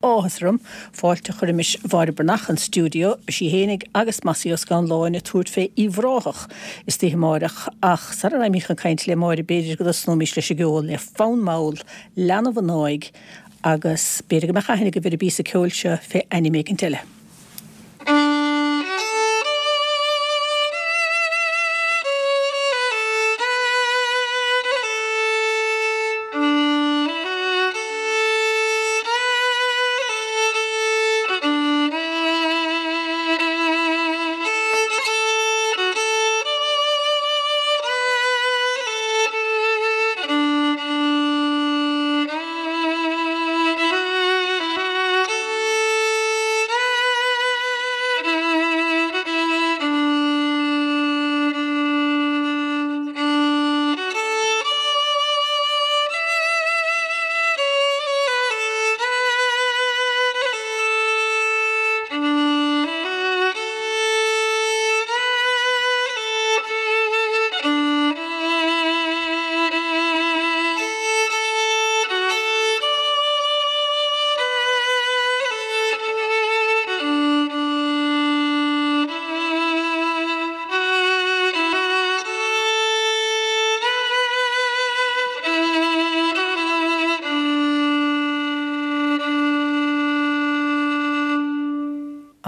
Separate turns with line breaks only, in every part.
Áthas orm fáilte a chur roimis Mháire Breathnach 'on stiúideo. Beidh sí fhéinig agus Mossy Ó Scanláin ag tabhairt fé Uíbh Ráthach istoíche amáireach ach sara raghaimís chun cainte le Máire b'fhéidir go dtosnóimís leis an gceol le Fonn Mall, Leanbh an Áidh agus b'fhéidir go mbeadh aithne agaibh ar an bpíosa ceoil seo fé ainm éicint eile.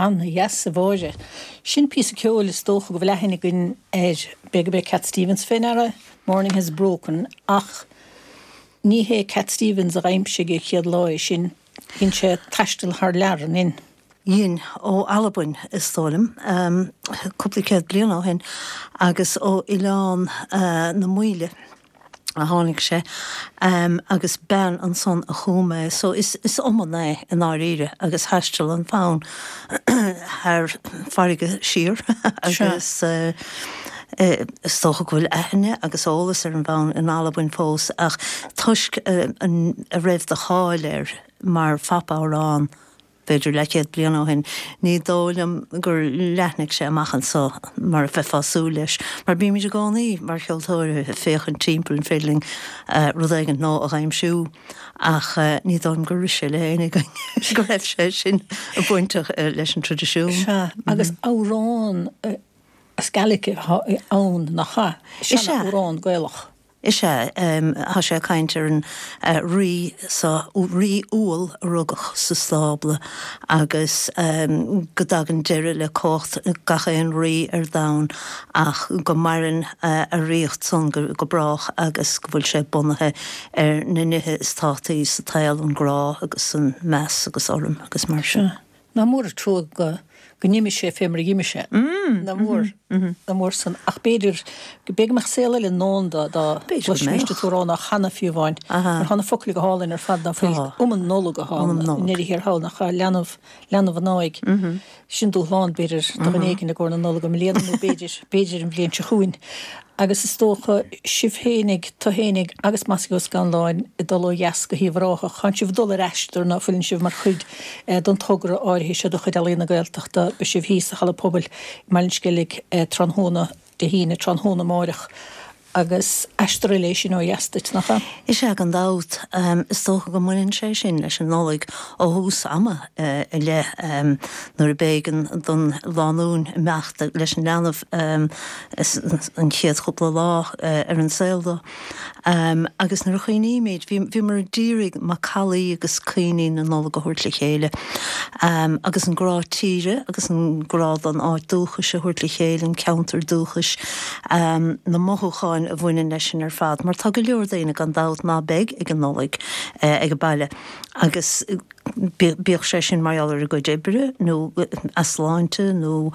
An-dheas, a Mháire. Sin píosa ceoil is dócha go bhfuil aithne againn air. B'fhéidir gurb é Cat Stevens fé ndeara Morning Has Broken ach ní hé Cat Stevens a dh'aimsigh an chéad lá é sin. Dhein sé taisteal thar lear, an ndein?
Dhein, ó Albain is dóigh liom, cúpla céad bliain ó shin, agus ó Oileán na Maoile a tháinig sé, agus bean ansan a chum é. So is iomann é i ndáiríre, agus thaistil an fonn thar farraige siar agus is dócha go bhfuil aithne agus eolas ar an bhfonn in Albain fós ach toisc a raibh de cháil air mar phop-amhrán, b'fhéidir leathchéad bliain ó shin, ní dóigh liom gur leathnaigh sé amach anso mar a bheifeá ag súil leis. Mar bímid i gcónaí, mar cheoltóirí, ag féachaint timpeall an féidir linn rud éigint nua a dh'aimsiú ach ní dóigh liom gur rith sé le héinne againn go raibh sé sin bainteach leis an traidisiún.
Sea, agus amhrán as Gaelic atá ann, nach ea? Sean-amhrán Gaelach.
Is ea, tá sé ag caint ar an rí so, rí umhal a rugadh sa stábla agus go dtagann deireadh le cumhacht gach aon rí ar domhan ach go maireann a ríocht san go brách agus go bhfuil sé bunaithe ar na nithe is tábhachtaí sa tsaol, an grá agus an meas agus urraim agus mar sin.
Nach mór an trua go go n-imigh sé fé mar a dh'imigh sé. Nach mór, nach mór san. Ach b'fhéidir, b'fhéidir go mbeadh saol eile i ndán dó dá gcloisfimís an t-amhrán á chanadh fiú amháin. Mar tá na focail go hálainn ar fad ná fuil. Iomann Nollag atá ann i ndeireadh thiar thall nach ea leanbh, leanbh an áidh. Sin dúshlán b'fhéidir do dhuine éigin i gcomhair na Nollag i mbliana nó b'fhéidir, b'fhéidir an bhliain seo chugainn. Agus is dócha, sibh fhéinig, tu fhéinig agus Mossy Ó Scanláin ag dul ó dheas go hUíbh Ráthach, tánn sibh ag dul ar aistear ná fuileann sibh mar chuid den togra áirithe seo de chuid Ealaíon na Gaeltachta, beidh sibh thíos sa Halla Pobail i mBaile an Sceilg tráthnóna Dé hAoine, tráthnóna amáireach. Agus aistear eile é sin ó dheas duit, nach ea?
Is ea, gan dabht. Is dócha go mbaineann sé sin leis an Nollaig ó thús ama i leith, nuair a b'éigean don lánúin imeacht leis an leanbh an chéad chúpla lá ar an saol dó. Agus nuair a chuimhnímid, bhíomar ag iarraidh macallaí agus cuimhní na Nollag a thabhairt le chéile, agus an grá tíre agus an grá don áit dúchais a thabhairt le chéile, an ceantar dúchais, na mothúcháin a bhaineann leis sin ar fad, mar tá go leor daoine gan dabht ná beidh ag an Nollaig ag an baile agus bíodh sé sin mar gheall ar a gcuid oibre nó easláinte nó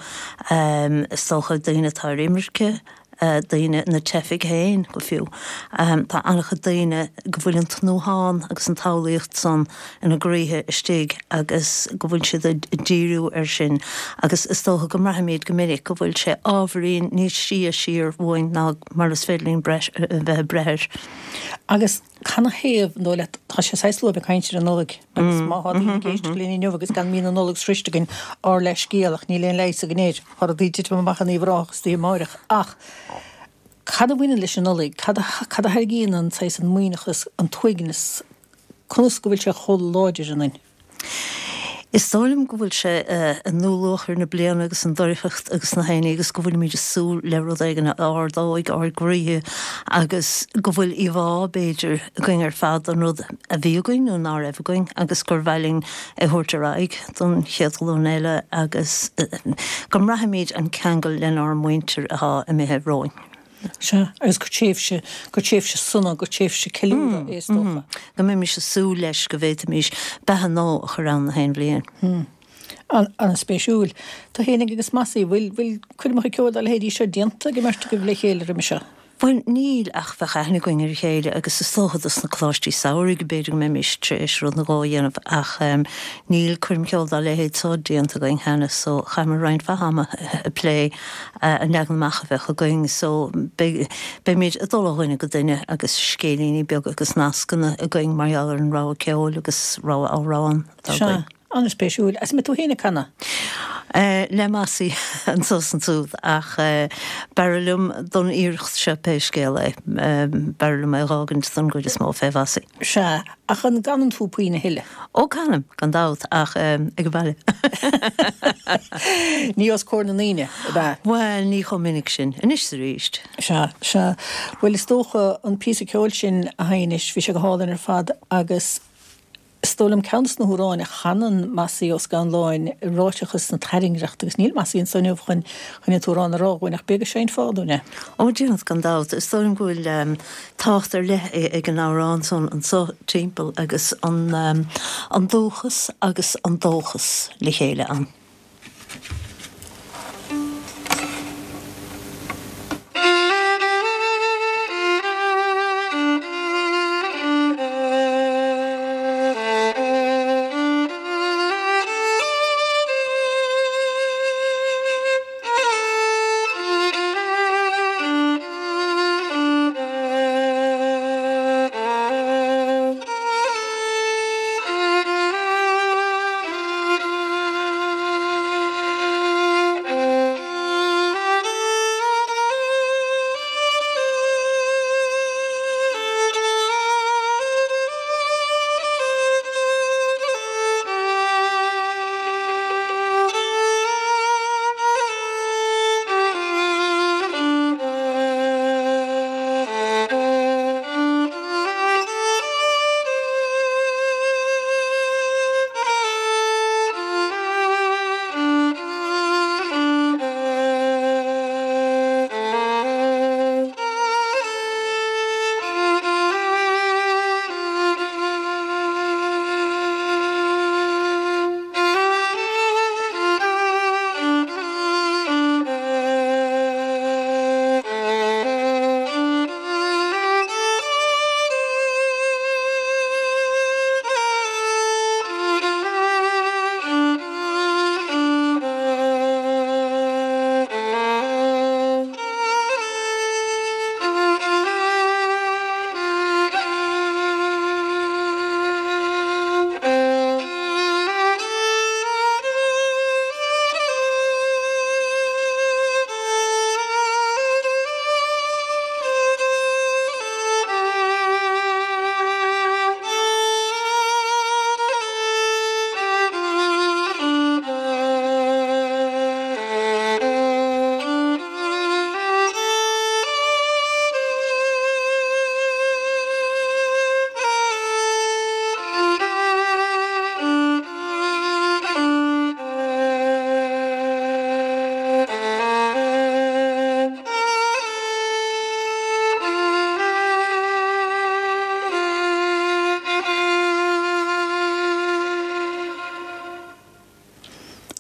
is dócha daoine atá ar imirce. daoine, na teifigh féin go fiú. Tá an-chuid daoine go bhfuil an tnúthán agus an tsamhlaíocht san ina gcroíthe istigh agus go bhfuil siad ag díriú air sin agus is dócha go mbraithimid go minic go bhfuil sé ábhairín níos sia siar uainn ná mar is féidir linn breith, a bheith ag breith air.
Agus canathaobh, an dóigh leat, tá sé saghas luath a bheith ag caint ar an Nollaig agus má tá daoine ag éisteacht linn inniu agus gan mí na Nollag sroiste againn, ár leithscéal ach níl aon leigheas againn air, tá rudaí ag titim amach in Uíbh Ráthach istoíche amáireach ach cad a bhaineann leis an Nollaig, cad a cad a thairgíonn an saghas an maoithneachas, an t-uaigneas, conas go bhfuil sé chomh láidir ionainn?
Is dóigh liom go bhfuil sé i ndúluachair na bliana agus an doircheacht agus na haon ní agus go bhfuilimid ag súil le rud éigin a ardóidh ár gcroíthe agus go bhfuil íomhá, b'fhéidir, againn ar fad den rud a bhí againn nó ná raibh againn agus gur mhaith linn é a thabhairt ar aghaidh don chéad ghlúin eile agus go mbraithimid an ceangal lenár muintir atá imithe romhainn.
Sea, agus gur tréimhse, gur tréimhse sona, gur tréimhse ceiliúradh é is dócha.
Go mbeimis ag súil leis go bhféadfaimis beatha nua a chur ann na haon bhliain.
An-spéisiúil. Tú fhéinig agus Mossie, bhfuil, bhfuil coirmeacha ceoil dá leithéidí seo déanta ag an mbeirt agaibh le chéile roimhe seo?
Bhuel, níl, ach bheadh aithne againn ar a chéile agus is dócha dos na coláistí samhraidh b'fhéidir go mbeimis tar éis rud nó dhó a dhéanamh ach níl coirm cheoil dá leithéid seo déanta againn cheana so chaitheamar roinnt mhaith ama ag plé an leagan amach a bheadh againn so beidh, beimid ag dul ó dhuine go duine agus scéilíní beaga agus nascanna againn mar gheall ar an rogha ceoil agus rogha amhrán
atá againn. Sea, an-spéisiúil. Agus an mbeidh tú féin ag canadh?
Le Mossie anso is ansúd ach b'fhearr liom don iarracht seo pé scéal é, b'fhearr liom é a dh'fhágaint don gcuid is mó fé Mhossie.
Sea, ach an gcanann tú puinn a thuilleadh?
Ó, canaim, gan dabht, ach ag an bhaile.
Ní os comhair na ndaoine, ab ea?
Bhuel, ní chomh minic sin. Anois is arís.
Sea, sea. Bhuel, is dócha, an píosa ceoil sin a sheinnis, bhí sé go hálainn ar fad agus is dóigh liom ceann de na hamhráin a chanann Mossie Ó Scanláin, Ráiteachas na Tairngreachta, agus níl Mossie anso inniu chun chun an t-amhrán a rá dhúinn ach b'fhéidir go seinnfeá dúinn é.
Ó, déanfad, gan dabht. Is dóigh liom go bhfuil tábhacht ar leith ag an amhrán san anso timpeall agus an dúchas agus an dóchas le chéile ann.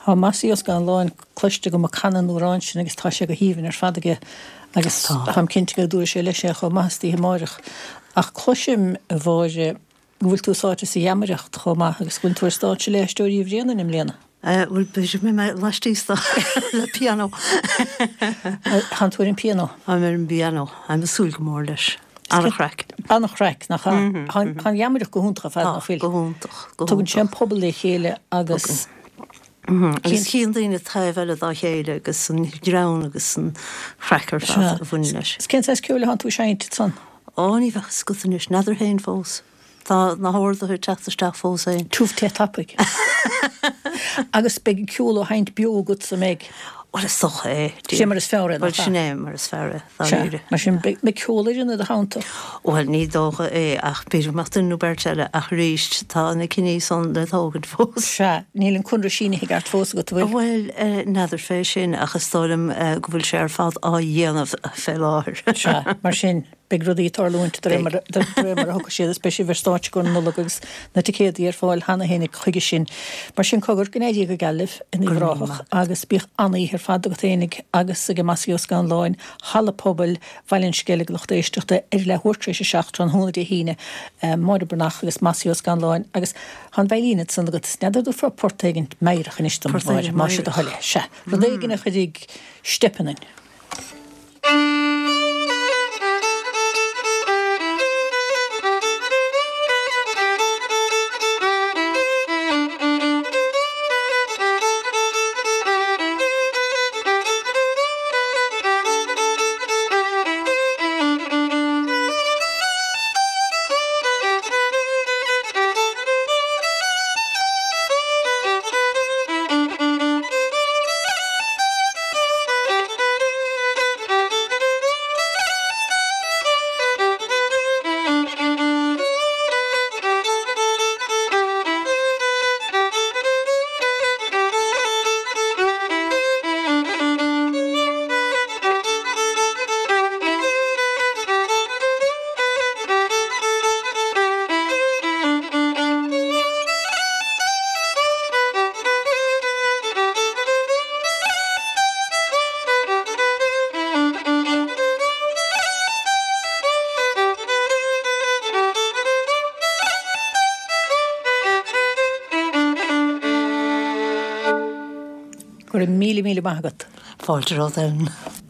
Tá Mossie Ó Scanláin cloiste agam ag canadh an amhráin sin agus tá sé go haoibhinn ar fad aige agus táim cinnte go dtabharfaidh sé leis é chomh maith istoíche amáireach. Ach cloisim, a Mháire, go bhfuil tú sáite sa gheamaireacht chomh maith agus go bhfuil tú ar stáitse le hAisteoirí Uí Bhraonáin i mbliana.
Bhuel, b'fhéidir go mbeidh mé laistíos de le pianó.
Tánn tú ar an bpianó?
Táim ar an bpianó. Táim ag súil go mór leis. An-chraic.
An-chraic, nach ea? Tá an gheamaireacht go hiontach ar fad, nach bhfuil?
Tá, go hiontach,
go hiontach. Tugann sé an pobal le chéile agus.
Agus chíonn daoine taobh eile dá chéile agus an greann agus an chraic ar fad a bhaineann leis.
Is cén saghas ceoil atánn tú ag seinnt ansan?
Ó, ní bheadh a fhios agat anois, n'fheadar féin fós. Tá na horduithe ag teacht isteach fós
féin. Tiubh te tapaidh. Agus beidh an ceol á sheinnt beo agat, an mbeidh?
Bhuel, is dócha é.
Sin mar is fearr é,
nach ea? Bhuel, sin é mar is fearr é,
dáiríre. Sea. Mar sin, beidh ceolfhoireann i do theannta?
Bhuel, ní dócha é, ach b'fhéidir go mbeadh duine nó beirt eile, ach arís, tá na cinní san le tógaint fós.
Sea. Níl an conradh sínithe i gceart fós agat, an
bhfuil? Bhuel, n'fheadar fé sin, ach is dóigh liom go bhfuil sé ar fad á dhéanamh fé láthair.
Sea. Mar sin. Beidh rudaí ag tarlúint de réir mar a thiocfaidh siad is beidh sibh ar stáitse i gcomhair na Nollag agus na ticéadaí ar fáil cheana féin chuige sin. Mar sin, cogar, go n-éirí go geal libh in Uíbh Ráthach agus bíodh an-oíche ar fad agat fhéinig agus ag Mossie Ó Scanláin, Halla Pobail Bhaile an Sceilg, lucht éisteachta, ar leathuair tar éis a 7 tráthnóna Dé hAoine, Máire Breathnach agus Mossie Ó Scanláin agus tá an veidhlín ansan agat, n'fheadar an dtabharfá port éigin meidhreach anois dom, a Mháire, más é do thoil é. Sea, rud éigin a chuirfidh steip ionainn. Go raibh míle míle maith agat.
Fáilte romhat Ellen.